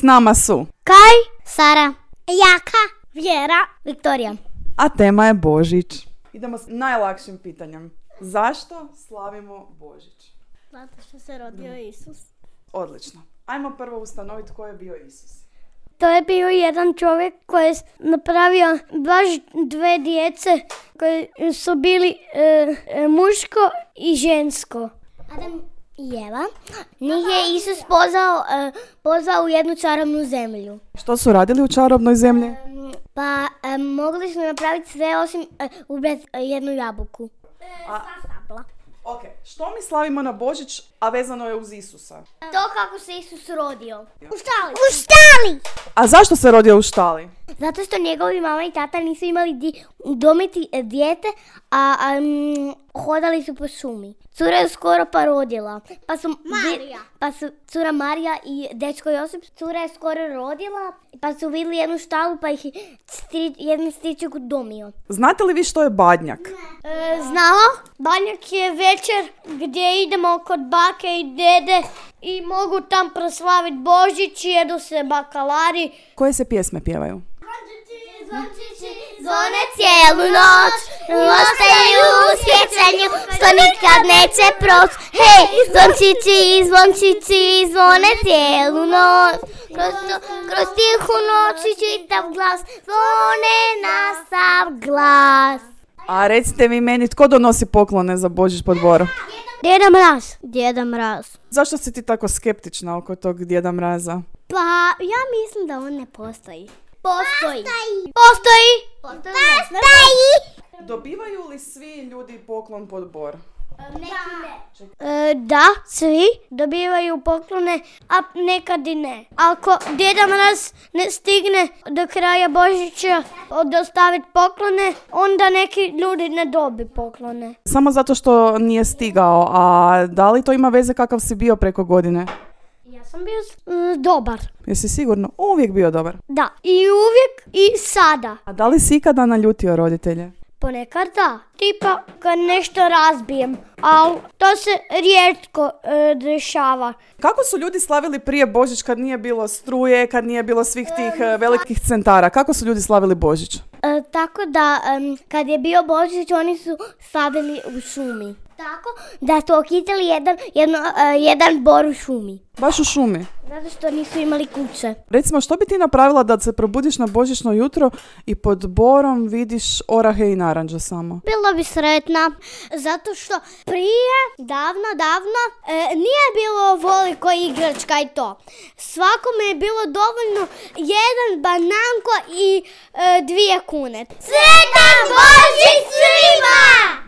s nama su Kaj, Sara, Jaka, Vjera, Viktorija. A tema je Božić. Idemo s najlakšim pitanjem. Zašto slavimo Božić? Zato što se rodio Isus. Odlično. Ajmo prvo ustanoviti ko je bio Isus. To je bio jedan čovjek koji je napravio baš dve djece koji su bili muško i žensko. Adam i Eva. Njih je Isus pozvao u jednu čarobnu zemlju. Što su radili u čarobnoj zemlji? Pa mogli su napraviti sve osim ubrati jednu jabuku. Ok, što mi slavimo na Božić, a vezano je uz Isusa? To kako se Isus rodio. U štali! A zašto se rodio u štali? Zato što njegovi mama i tata nisu imali udomiti dijete, a hodali su po šumi. Cura je skoro pa rodila. Pa su cura Marija i dečko Josip, cura je skoro rodila, pa su vidjeli jednu štalu, pa ih jedan stričak udomio. Znate li vi što je badnjak? Znala? Badnjak je večer gdje idemo kod bake i dede i mogu tam proslaviti Božić, jedu se bakalari. Koje se pjesme pjevaju? Zvone cijelu noć, ostaju u sjećanju, što nikad neće proć. Hej, zvončići, zvone cijelu noć, kroz tihu noć i čitav glas, zvone na sav glas. A recite mi meni, tko donosi poklone za Božić pod Boro? Djeda Mraz. Zašto si ti tako skeptična oko tog Djeda Mraza? Pa, ja mislim da on ne postoji. Postoji. Dobivaju li svi ljudi poklon pod Bor? Da, svi dobivaju poklone, a nekad i ne. Ako Djeda Mraz ne stigne do kraja Božića dostaviti poklone, onda neki ljudi ne dobi poklone. Samo zato što nije stigao, a da li to ima veze kakav si bio preko godine? Ja sam bio dobar. Jesi sigurno? Uvijek bio dobar. Da, i uvijek i sada. A da li si ikada naljutio roditelje? Ponekad da. Tipa kad nešto razbijem, ali to se rijetko dešava. Kako su ljudi slavili prije Božić kad nije bilo struje, kad nije bilo svih tih velikih centara? Kako su ljudi slavili Božić? Tako da kad je bio Božić oni su slavili u šumi. Tako da su okitali jedan bor u šumi. Baš u šumi? Zato što nisu imali kuće. Recimo, što bi ti napravila da se probudiš na božićno jutro i pod borom vidiš orahe i naranđe samo? Bila bi sretna, zato što prije, davno, nije bilo ovoliko igračka i to. Svakome je bilo dovoljno jedan bananko i 2 kune. Sretan